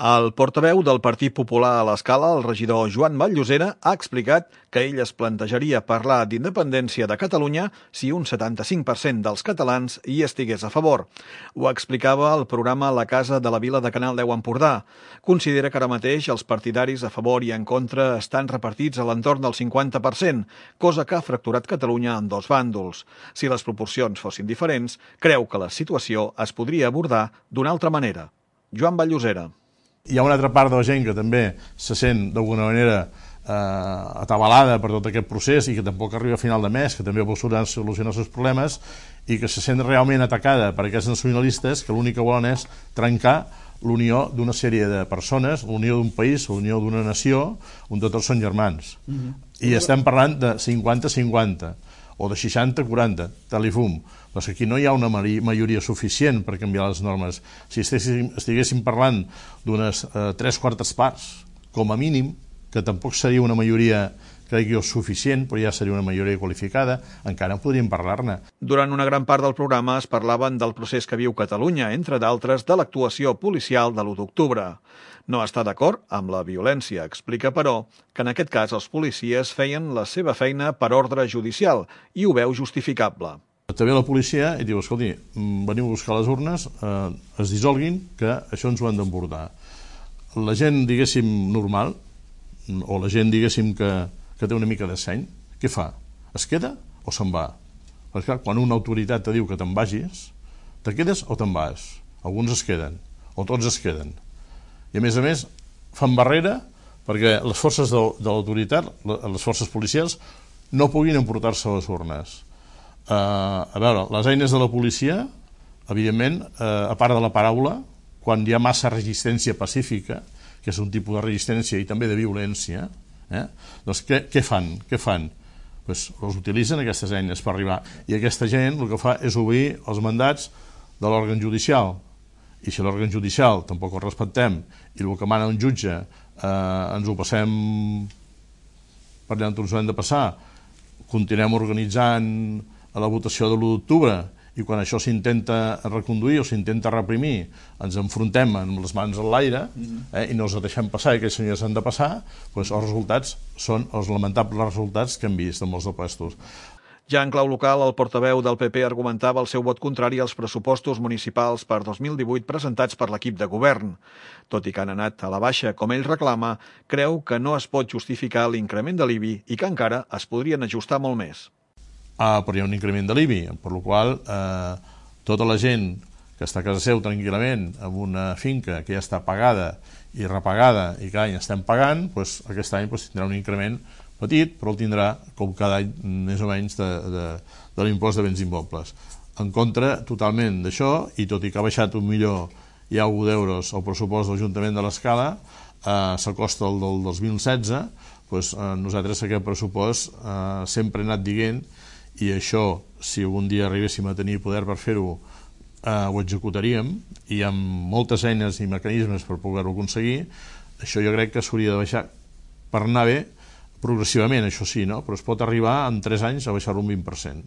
El portaveu del Partit Popular a l'Escala, el regidor Joan Vall-Llosera, ha explicat que ell es plantejaria parlar d'independència de Catalunya si un 75% dels catalans hi estigués a favor. Ho explicava al programa La Casa de la Vila de Canal 10 Empordà. Considera que ara mateix els partidaris a favor i en contra estan repartits a l'entorn del 50%, cosa que ha fracturat Catalunya en dos bàndols. Si les proporcions fossin diferents, creu que la situació es podria abordar d'una altra manera. Joan Vall-Llosera. Hi ha una altra part de la gent que també se sent d'alguna manera atabalada per tot aquest procés i que tampoc arriba a final de mes, que també vol solucionar els seus problemes i que se sent realment atacada per aquests nacionalistes que l'únic que volen és trencar l'unió d'una sèrie de persones, l'unió d'un país, l'unió d'una nació, on tots són germans. I estem parlant de 50-50 o de 60-40, tal i fum. Però aquí no hi ha una majoria suficient per canviar les normes. Si estiguéssim parlant d'unes 3/4 parts, com a mínim, que tampoc seria una majoria, crec jo, suficient, però ja seria una majoria qualificada, encara en podríem parlar-ne. Durant una gran part del programa es parlaven del procés que viu Catalunya, entre d'altres de l'actuació policial de l'1 d'octubre. No està d'acord amb la violència, explica, però, que en aquest cas els policies feien la seva feina per ordre judicial i ho veu justificable. També la policia i diu, escolti, veniu a buscar les urnes, es dissolguin, que això ens ho han d'embordar. La gent, diguéssim, normal, o la gent, diguéssim, que té una mica de seny, què fa? Es queda o se'n va? Perquè quan una autoritat te diu que te'n vagis, te quedes o te'n vas? Alguns es queden, o tots es queden. I a més, fan barrera perquè les forces de l'autoritat, les forces policials, no puguin emportar-se a les urnes. A veure, les eines de la policia, evidentment, a part de la paraula, quan hi ha massa resistència pacífica, que és un tipus de resistència i també de violència, doncs què fan? Les utilitzen aquestes eines per arribar. I aquesta gent el que fa és obrir els mandats de l'òrgan judicial. I si l'òrgan judicial tampoc el respectem i el que mana un jutge ens ho passem per allà on ens ho hem de passar, continuem organitzant la votació de l'1 d'octubre i quan això s'intenta reconduir o s'intenta reprimir ens enfrontem amb les mans en l'aire i no els deixem passar i aquells senyors han de passar, doncs els resultats són els lamentables resultats que hem vist en molts de puestos. Ja en clau local, el portaveu del PP argumentava el seu vot contrari als pressupostos municipals per 2018 presentats per l'equip de govern. Tot i que han anat a la baixa, com ell reclama, creu que no es pot justificar l'increment de l'IBI i que encara es podrien ajustar molt més. Però hi ha un increment de l'IBI, per la qual tota la gent que està a casa seu tranquil·lament en una finca que ja està pagada i repagada i cada any estem pagant, aquest any tindrà un increment petit, però el tindrà com cada any més o menys de l'impost de béns immobles. En contra totalment d'això, i tot i que ha baixat un milió i alguna d'euros el pressupost de l'Ajuntament de l'Escala, s'acosta al del 2016, nosaltres aquest pressupost sempre he anat dient, i això, si algun dia arribéssim a tenir poder per fer-ho, ho executaríem, i amb moltes eines i mecanismes per poder-ho aconseguir. Això jo crec que s'hauria de baixar per anar bé, progressivament, això sí, no? Però es pot arribar en 3 anys a baixar-ho un 20%.